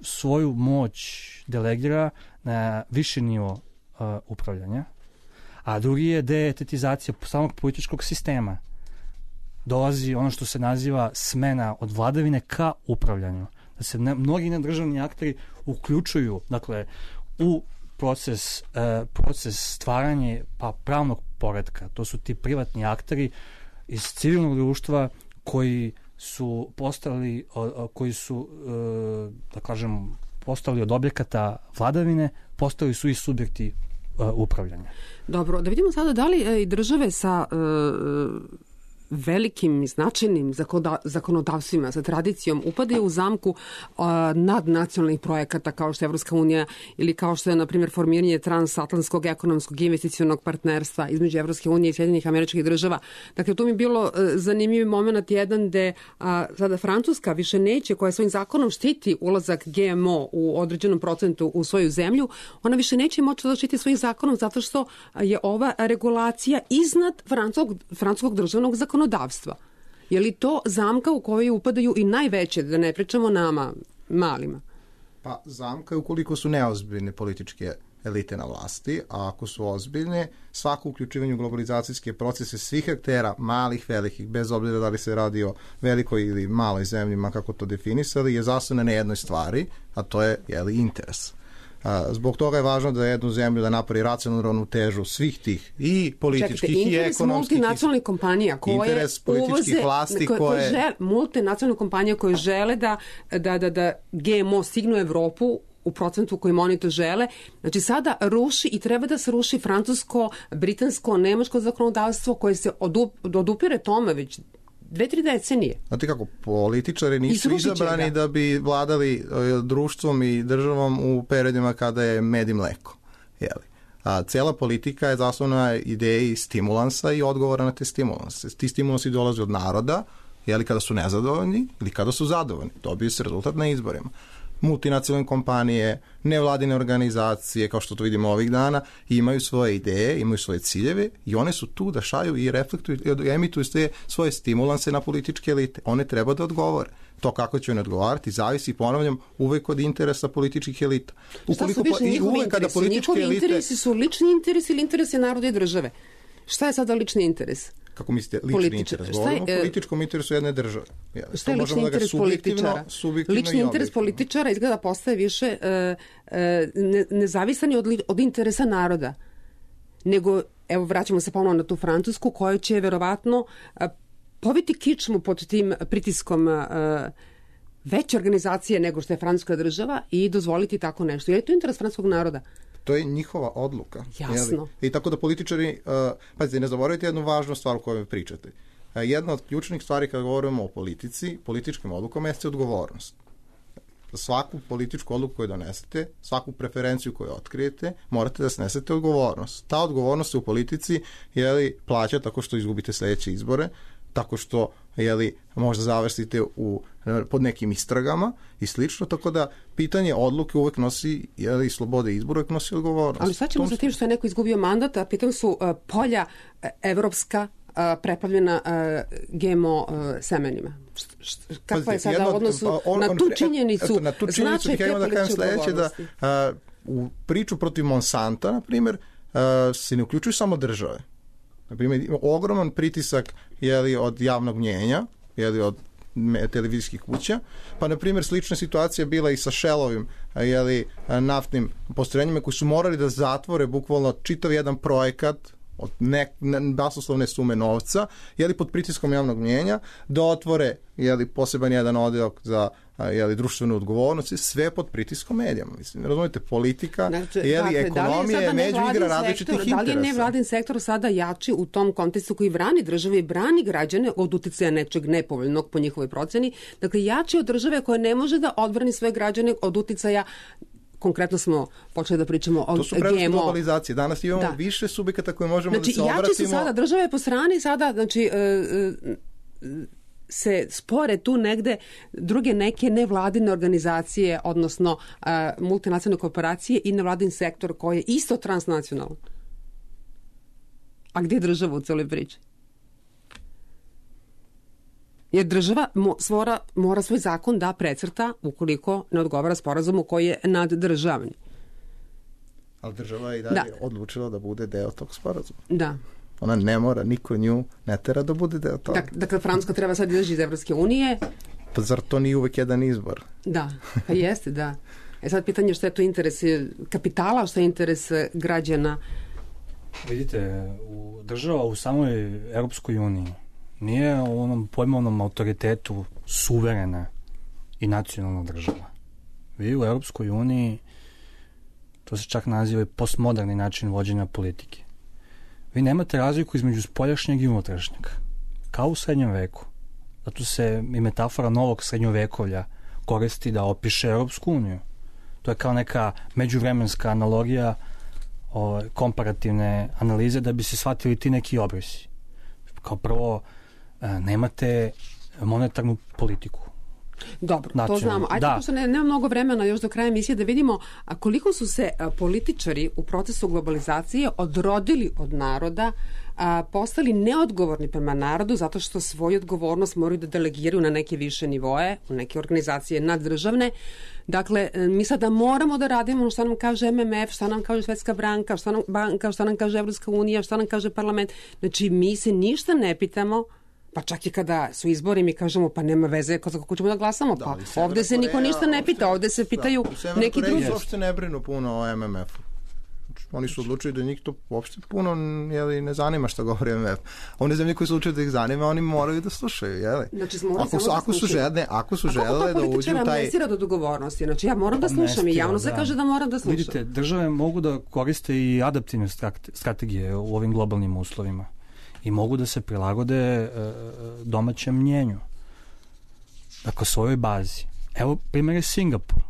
svoju moć delegira na viši nivo upravljanja, a drugi je deetatizacija samog političkog sistema. Dolazi ono što se naziva smena od vladavine ka upravljanju. Da se mnogi nedržavni akteri uključuju, dakle, u proces stvaranja pravnog poretka. To su ti privatni akteri iz civilnog društva koji su postali da kažem, postali od objekata vladavine, postali su i subjekti upravljanja. Dobro, da vidimo sada da li i države sa velikim i značajnim zakonodavstvima, sa tradicijom, upadaju u zamku nadnacionalnih projekata kao što je Evropska unija ili kao što je, na primjer, formiranje transatlantskog ekonomskog i investicionog partnerstva između Evropske unije i Sjedinjenih Američkih Država. Dakle, to mi je bilo zanimljiv moment jedan gde sada Francuska više neće, koja svojim zakonom štiti ulazak GMO u određenom procentu u svoju zemlju, ona više neće moći da štiti svojim zakonom zato što je ova regulacija iznad francuskog državnog zakonodavstva. Je li to zamka u kojoj upadaju i najveće, da ne pričamo nama, malima? Pa zamka je ukoliko su neozbiljne političke elite na vlasti, a ako su ozbiljne, svako uključivanje u globalizacijske procese svih aktera, malih, velikih, bez obzira da li se radi o velikoj ili maloj zemlji, kako to definisali, je zasnovana na jednoj stvari, a to je interes. Zbog toga je važno da jednu zemlju da napravi racionalnu ravnotežu svih tih i političkih i ekonomskih. Multinacionalnih kompanija koje interes političkih vlasti multinacionalne kompanije koje žele da GMO stignu u Evropu u procentu kojim oni to žele. Znači sada ruši i treba da se ruši francusko, britansko, nemačko zakonodavstvo koje se odupire tome već 2-3 decenije. Znate kako, političari nisu izabrani da bi vladali društvom i državom u periodima kada je med i mleko. A cela politika je zasnovana na ideji stimulansa i odgovora na te stimulanse. Ti stimulansi dolaze od naroda, kada su nezadovoljni ili kada su zadovoljni. Dobiju se rezultat na izborima. Multinacionalne kompanije, nevladine organizacije, kao što to vidimo ovih dana, imaju svoje ideje, imaju svoje ciljeve i one su tu da šalju i reflektuju i emituju svoje stimulanse na političke elite. One treba da odgovore. To kako će one odgovarati zavisi, ponavljam, uvek od interesa političkih elita. Šta su više njihovi interesi? Njihovi interesi su lični interesi ili interesi naroda i države? Šta je sada lični interes? Kako mislite, lični interes? Govorimo o političkom interesu jedne države. Šta je lični interes političara? Lični interes političara izgleda postaje više nezavisan od interesa naroda. Nego, evo, vraćamo se ponovno na tu Francusku, koja će verovatno poviti kičmu pod tim pritiskom veće organizacije nego što je francuska država i dozvoliti tako nešto. Je li to interes francuskog naroda? To je njihova odluka. Jasno. I tako da političari, pazite, ne zaboravite jednu važnu stvar o kojoj pričate. Jedna od ključnih stvari kada govorimo o politici, političkim odlukama, jeste odgovornost. Za svaku političku odluku koju donesete, svaku preferenciju koju otkrijete, morate da snesete odgovornost. Ta odgovornost se u politici plaća tako što izgubite sledeće izbore, tako što možda završite pod nekim istragama i slično, tako da pitanje odluke uvek nosi slobode izbora, uvek nosi odgovornost. Ali sad ćemo sa tim što je neko izgubio mandat, a pitam su polja evropska preplavljena GMO semenima. Kakva je sada u odnosu na tu činjenicu? Na tu činjenicu bih ja da kažem sledeće, da u priču protiv Monsanta, na primjer, se ne uključuju samo države. Na primjer, ogroman pritisak od javnog mnjenja, od televizijskih kuća, pa na primjer slična situacija bila i sa Shellovim naftnim postrojenjima koji su morali da zatvore bukvalno čitav jedan projekat od basnoslovne sume novca, pod pritiskom javnog mnjenja, da otvore poseban jedan odjel za društvenu odgovornost, sve pod pritiskom medijama. Mislim, razumijete, politika, ekonomija je međuigra različitih interesa. Da li je nevladin sektor sada jači u tom kontekstu koji brani države i brani građane od uticaja nečeg nepovoljnog po njihovoj proceni? Dakle, jači od države koja ne može da odbrani svoje građane od uticaja. Konkretno smo počeli da pričamo o GMO. To su prednosti globalizacije. Danas imamo više subjekata koje možemo da se obratimo. Jači su sada, države po strani sada, se spore tu negde druge neke nevladine organizacije, odnosno multinacionalne korporacije i nevladin sektor koji je isto transnacionalan. A gdje je država u celoj priči? Jer država mora svoj zakon da precrta ukoliko ne odgovara sporazumu koji je naddržavni. Ali država je i dalje odlučila da bude deo tog sporazuma. Da. Ona ne mora, niko nju ne tera da bude deo toga. Dakle, Francuska treba sad izaći iz Evropske unije. Pa zar to nije uvek jedan izbor? Da, pa jeste, da. Sad pitanje što je to interes kapitala, što je interes građana. Vidite, država u samoj Evropskoj uniji nije u onom pojmovnom autoritetu suverena i nacionalna država. Vi u Evropskoj uniji, to se čak naziva postmoderni način vođenja politike. Vi nemate razliku između spoljašnjeg i unutrašnjeg. Kao u srednjem veku. Zato se i metafora novog srednjovekovlja koristi da opiše Europsku uniju. To je kao neka međuvremenska analogija komparativne analize da bi se shvatili ti neki obrisi. Kao prvo, nemate monetarnu politiku. Dobro, to znamo. Ajde, pošto nema mnogo vremena još do kraja emisije da vidimo koliko su se političari u procesu globalizacije odrodili od naroda, postali neodgovorni prema narodu zato što svoju odgovornost moraju da delegiraju na neke više nivoe, u neke organizacije naddržavne. Dakle, mi sada moramo da radimo što nam kaže MMF, što nam kaže Svetska banka, što nam kaže Evropska unija, što nam kaže parlament. Znači, mi se ništa ne pitamo. Pa čak i kada su izbori mi kažemo pa nema veze kako ćemo da glasamo, pa ovde se niko ništa ne pita, ovde se pitaju neki drugi. U uopšte ne brinu puno o MMF-u. Oni su odlučili da njih to uopšte puno ne zanima što govori MMF. One zemlje koji su odlučili da ih zanima, oni moraju da slušaju. Znači, ako su želele da uđu u taj... Kako to političara amnesira do dogovornosti? Znači, ja moram da slušam i javno se kaže da moram da slušam. Vidite, države mogu da koriste i adaptivne strategije u ovim globalnim uslovima. I mogu da se prilagode domaćem mnjenju. Dakle, svojoj bazi. Evo, primjer je Singapur.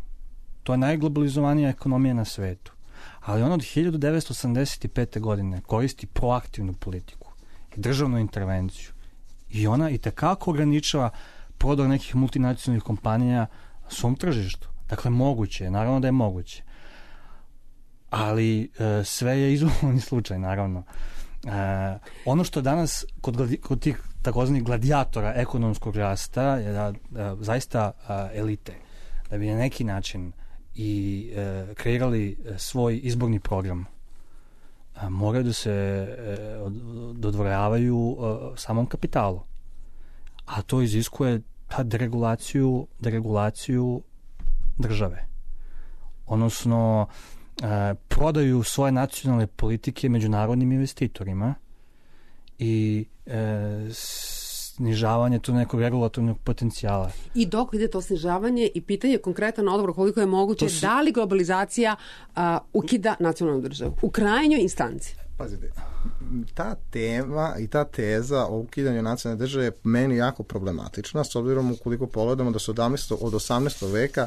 To je najglobalizovanija ekonomija na svetu. Ali on od 1985. godine koristi proaktivnu politiku i državnu intervenciju. I ona i tekako ograničava prodor nekih multinacionalnih kompanija svom tržištu. Dakle, moguće je. Naravno da je moguće. Ali sve je izolovani slučaj, naravno. Ono što danas kod tih takozvanih gladijatora ekonomskog rasta je da zaista elite da bi na neki način i kreirali svoj izborni program moraju da se dodvoravaju samom kapitalu, a to iziskuje deregulaciju države, odnosno prodaju svoje nacionalne politike međunarodnim investitorima i snižavanje tu nekog regulatornog potencijala. I dok ide to snižavanje i pitanje konkretan odgovor koliko je moguće, da li globalizacija ukida nacionalnu državu u krajnjoj instanci? Pazite, ta tema i ta teza o ukidanju nacionalne države je meni jako problematična, s obzirom ukoliko pogledamo da se od 18. veka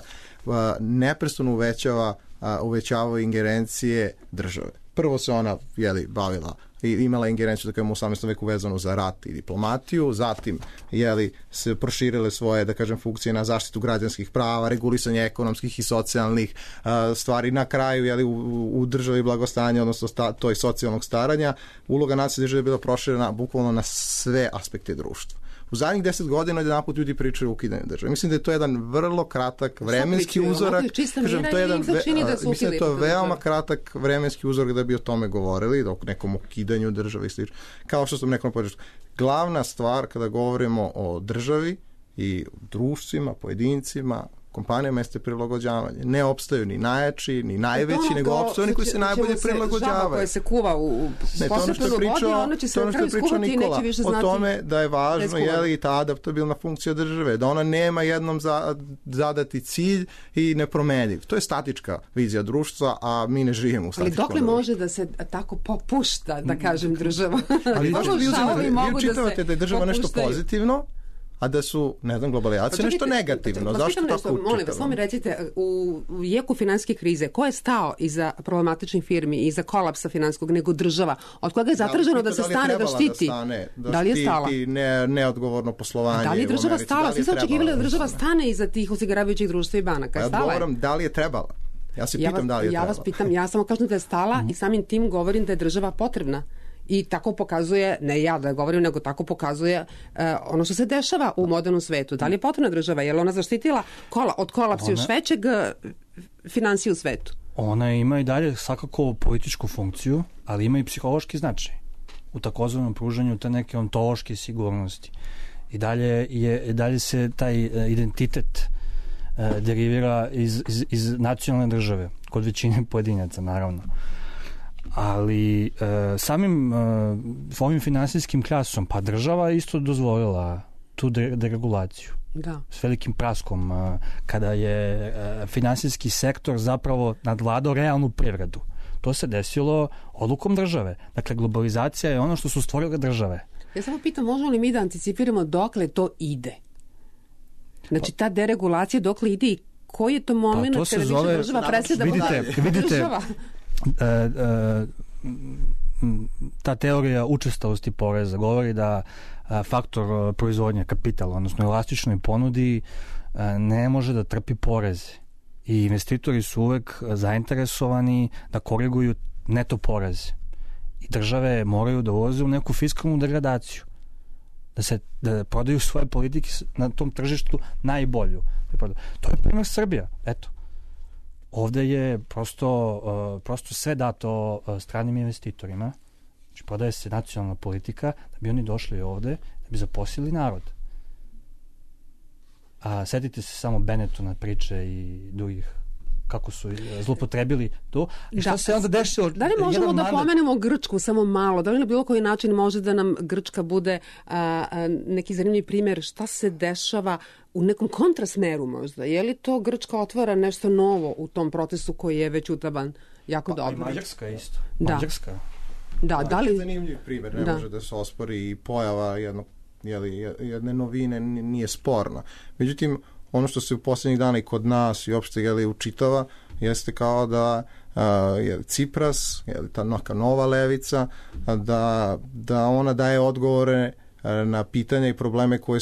neprestano uvećavaju ingerencije države. Prvo se ona bavila i imala ingerenciju da kažemo u 18. veku vezano za rat i diplomatiju, zatim se proširile svoje, da kažem, funkcije na zaštitu građanskih prava, regulisanje ekonomskih i socijalnih stvari. Na kraju u državi blagostanja, odnosno toj socijalnog staranja, uloga nacionalne države je bila proširena bukvalno na sve aspekte društva. U zadnjih 10 godina jedanput ljudi pričaju o ukidanju države. Mislim da je to jedan vrlo kratak vremenski uzorak. Mislim da je to veoma kratak vremenski uzorak da bi o tome govorili, o nekom ukidanju države i slično. Kao što sam rekao na početku, glavna stvar kada govorimo o državi i društvima, pojedincima, kompanijama jeste prilagođavanje. Ne opstaju ni najjači, ni najveći, nego opstaju oni koji se najbolje prilagođavaju. Žaba koja se kuva u posebnoj vodi, ona će se na kraju skuvati i neće više znati. O tome da je važno i ta adaptabilna funkcija države, da ona nema jednom zadati cilj i nepromeniv. To je statička vizija društva, a mi ne živimo u statičkom. Ali dokle može da se tako popušta, da kažem, država? Ali vi čitavate da je država nešto pozitivno, a da su, ne znam, globalizacija nešto negativno. Zašto tako učitamo? Molim vas, samo mi recite, u jeku finansijske krize, ko je stao iza problematičnih firmi, iza kolapsa finansijskog, nego država? Od koga je zatraženo da se stane, da štiti? Da li je stala? Neodgovorno poslovanje. Da li je država stala? Svi su očekivali da država stane iza tih osiguravajućih društva i banaka. Ja odgovoram, da li je trebala? Ja se pitam da li je trebala. Ja vas pitam, ja samo kažem da je stala i samim tim govorim da je država potrebna. I tako pokazuje, ne ja da govorim, nego tako pokazuje ono što se dešava u modernom svetu. Da li je potrebna država? Je li ona zaštitila od kolapsa još većeg finansije u svetu? Ona ima i dalje svakako političku funkciju, ali ima i psihološki značaj u takozvanom pružanju te neke ontološke sigurnosti. I dalje se taj identitet derivira iz nacionalne države, kod većine pojedinaca, naravno. Ali samim ovim finansijskim klasom, pa država isto dozvolila tu deregulaciju. Da. S velikim praskom, kada je finansijski sektor zapravo nadvladao realnu privredu. To se desilo odlukom države. Dakle, globalizacija je ono što su stvorile države. Ja samo pitam, možemo li mi da anticipiramo dokle to ide? Znači, ta deregulacija dokle ide i koji je to moment kada više država presjeda država? Ta teorija učestalosti poreza govori da faktor proizvodnje kapitala, odnosno elastičnoj ponudi, ne može da trpi poreze. I investitori su uvek zainteresovani da koriguju neto poreze. I države moraju da ulaze u neku fiskalnu degradaciju. Da prodaju svoje politike na tom tržištu najbolju. To je primjer Srbija. Eto. Ovde je prosto sve dato stranim investitorima. Znači, prodaje se nacionalna politika da bi oni došli ovde, da bi zaposlili narod. A setite se samo Benetona priče i drugih kako su zlopotrebili to. I šta se onda dešava? Da li možemo da pomenemo Grčku samo malo? Da li na bilo koji način može da nam Grčka bude neki zanimljiv primjer šta se dešava u nekom kontrasmeru možda? Je li to Grčka otvara nešto novo u tom procesu koji je već utaban jako dobro? I Mađarska isto. Da. Mađarska. Da li... Zanimljiv primjer, ne može da se ospori i pojava jedne novine nije sporna. Međutim, ono što se u posljednjih dana i kod nas i uopšte učitava jeste kao da Cipras, ta neka nova levica, da ona daje odgovore na pitanja i probleme koje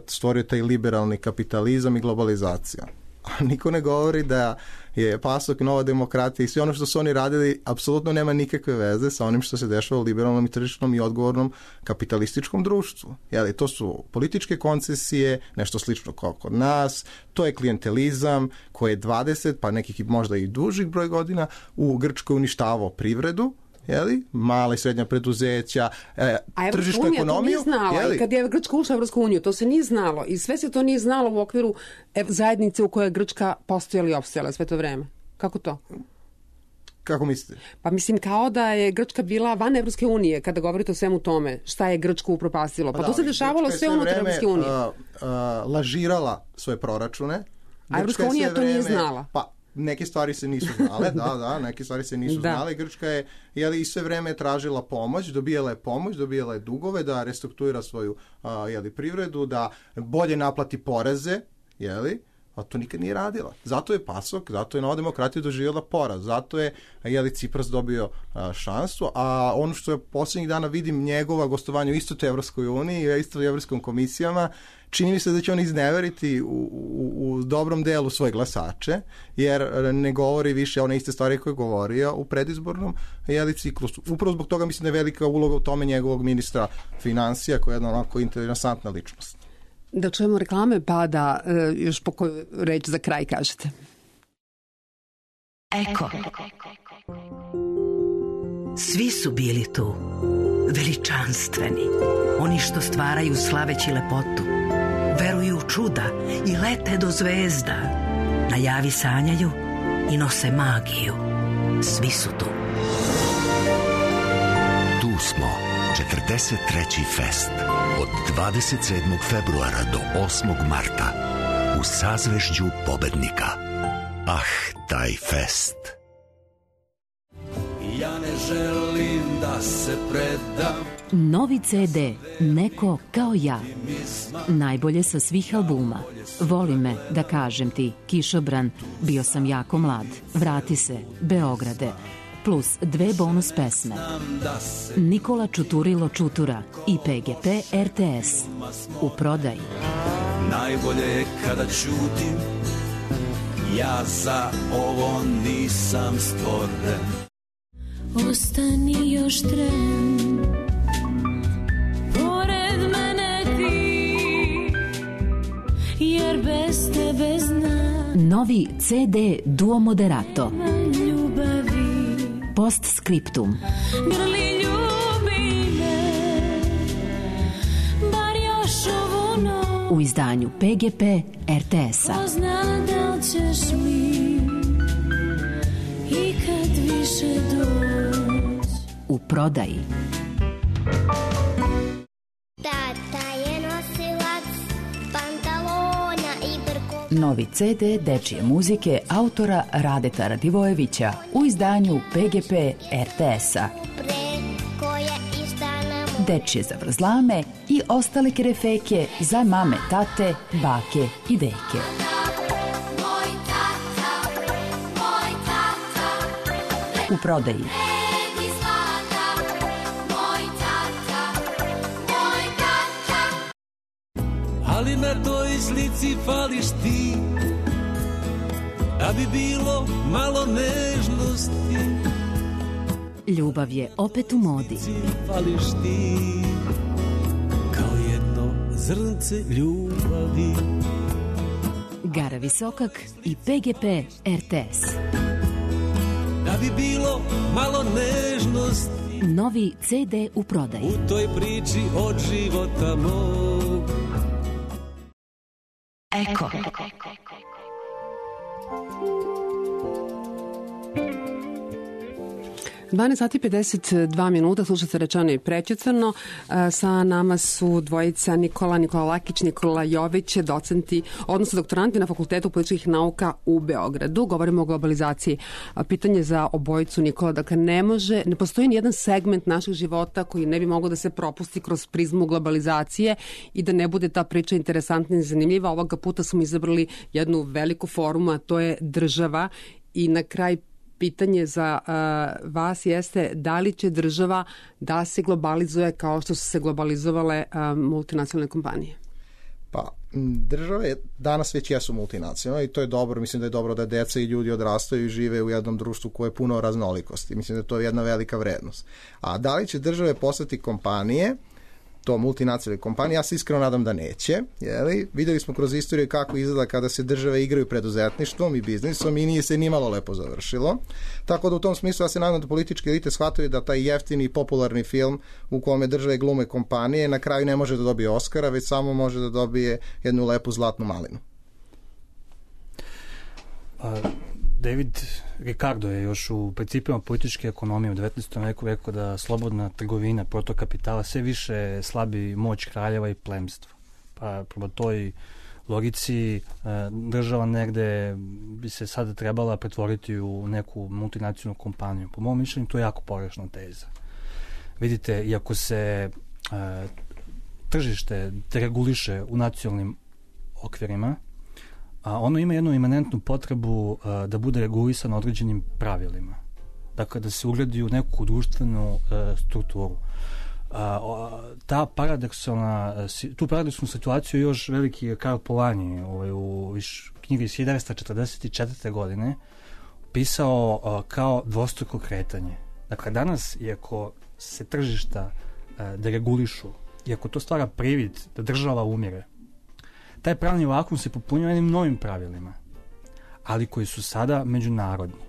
stvorio taj liberalni kapitalizam i globalizacija. A niko ne govori da je PASOK, Nova demokratija i sve ono što su oni radili apsolutno nema nikakve veze sa onim što se dešava u liberalnom i tržišnom i odgovornom kapitalističkom društvu. To su političke koncesije, nešto slično kao kod nas, to je klijentelizam koji je 20, pa nekih možda i dužih broj godina u Grčkoj uništavao privredu, mala i srednja preduzeća, tržišnu ekonomiju. To nije znala. I kad je Grčka ušla u Evropsku uniju, to se nije znalo. I sve se to nije znalo u okviru zajednice u kojoj je Grčka postojala i opstojala sve to vreme. Kako to? Kako mislite? Pa mislim kao da je Grčka bila van Evropske unije kada govorite o svemu tome. Šta je Grčku upropastilo? Pa to se dešavalo sve unutar Evropske unije. Lažirala svoje proračune. A Evropska unija to nije znala. Pa neke stvari se nisu znale, neke stvari se nisu znale. Grčka je i sve vreme tražila pomoć, dobijala je dugove da restrukturira svoju privredu, da bolje naplati poreze, a to nikad nije radila. Zato je PASOK, zato je Nova demokratija doživjela poraz, zato je Cipras dobio šansu, a ono što je posljednjih dana vidim njegova gostovanja u istoj Evropskoj uniji i isto u Evropskom komisijama, čini mi se da će on izneveriti u dobrom delu svoje glasače, jer ne govori više one iste stvari koje je govorio u predizbornom ciklusu. Upravo zbog toga mislim da je velika uloga u tome njegovog ministra financija, koja je jedna onako interesantna ličnost. Da čujemo reklame, pa da još po koju reč za kraj kažete. Eko. Svi su bili tu, veličanstveni, oni što stvaraju slaveći lepotu, veruju u čuda i lete do zvezda, Najavi sanjaju i nose magiju. Svi su tu. Tu smo, 43. fest. Od 27. februara do 8. marta. U sazvežđu pobednika. Taj fest. Ja ne želim da se predam. Novi CD Neko kao ja. Najbolje sa svih albuma. Voli me, da kažem ti, Kišobran, Bio sam jako mlad, Vrati se, Beograde, plus 2 bonus pesme. Nikola Čuturilo Čutura i PGP RTS. U prodaji. Najbolje je kada ćutim, ja za ovo nisam stvoren. Ostani još tren, pored mene ti, jer bez tebe znam. Novi CD Duo Moderato. Postscriptum. Grli ljubi me, bar još ovu noć. U izdanju PGP RTS-a. Ko zna da li ćeš mi ikad više doći. U prodaji. Tata je nosilac pantalona i brko. Novi CD dečije muzike autora Radeta Radivojevića u izdanju PGP RTS-a. Dečije zavrzlame i ostale kerefeke za mame, tate, bake i deke. U prodaji. Ali na toj slici fališ ti, da bi bilo malo nežnosti. Ljubav je opet u modi. Fališ ti, kao jedno zrnce ljubavi. Gara Visokak i PGP RTS. Da bi bilo malo nežnosti. Novi CD u prodaji. U toj priči od života mog. Eko. 12 sati 52 minuta, slušate Rečeno i prećutano. Sa nama su dvojica Nikola Lakić, Nikola Jović, docenti, odnosno doktoranti na Fakultetu političkih nauka u Beogradu. Govorimo o globalizaciji. Pitanje za obojicu, Nikola, dakle ne postoji ni jedan segment našeg života koji ne bi mogao da se propusti kroz prizmu globalizacije i da ne bude ta priča interesantna i zanimljiva. Ovoga puta smo izabrali jednu veliku forumu, a to je država. I na kraj pitanje za vas jeste da li će država da se globalizuje kao što su se globalizovale multinacionalne kompanije? Pa, države danas već jesu multinacionalne i to je dobro. Mislim da je dobro da deca i ljudi odrastaju i žive u jednom društvu koje je puno raznolikosti. Mislim da je to jedna velika vrednost. A da li će države postati kompanije, to multinacionalne kompanije, ja se iskreno nadam da neće. Jeli? Vidjeli smo kroz istoriju kako izgleda kada se države igraju preduzetništvom i biznisom i nije se nimalo lepo završilo. Tako da u tom smislu ja se nadam da političke elite shvataju da taj jeftini i popularni film u kome države glume kompanije na kraju ne može da dobije Oskara, već samo može da dobije jednu lepu zlatnu malinu. David Ricardo je još u principima političke ekonomije u 19. veku rekao da slobodna trgovina, protok kapitala sve više slabi moć kraljeva i plemstva. Pa prema toj logici država negde bi se sada trebala pretvoriti u neku multinacionalnu kompaniju. Po mom mišljenju to je jako pogrešna teza. Vidite, iako se tržište dereguliše u nacionalnim okvirima, ono ima jednu imanentnu potrebu da bude regulisano određenim pravilima. Dakle, da se ugradi u neku društvenu strukturu. Tu paradoksalnu situaciju još veliki Karl Polanyi u knjigi iz 1944. godine pisao kao dvostruko kretanje. Dakle, danas, iako se tržišta deregulišu, iako to stvara privid da država umire, taj pravni vakum se popunjava jednim novim pravilima, ali koji su sada međunarodni.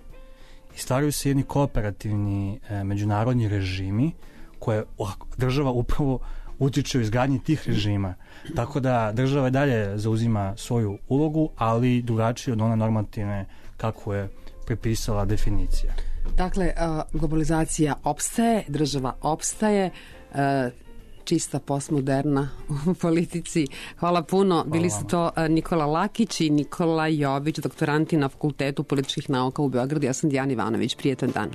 I stvaraju se jedni kooperativni međunarodni režimi koje država upravo utiče u izgradnji tih režima. Tako da država i dalje zauzima svoju ulogu, ali drugačije od one normativne kako je prepisala definicija. Dakle, globalizacija opstaje, država opstaje, čista postmoderna u politici. Hvala puno. Bili su to Nikola Lakić i Nikola Jović, doktoranti na Fakultetu političkih nauka u Beogradu. Ja sam Dijana Ivanović. Prijetan dan.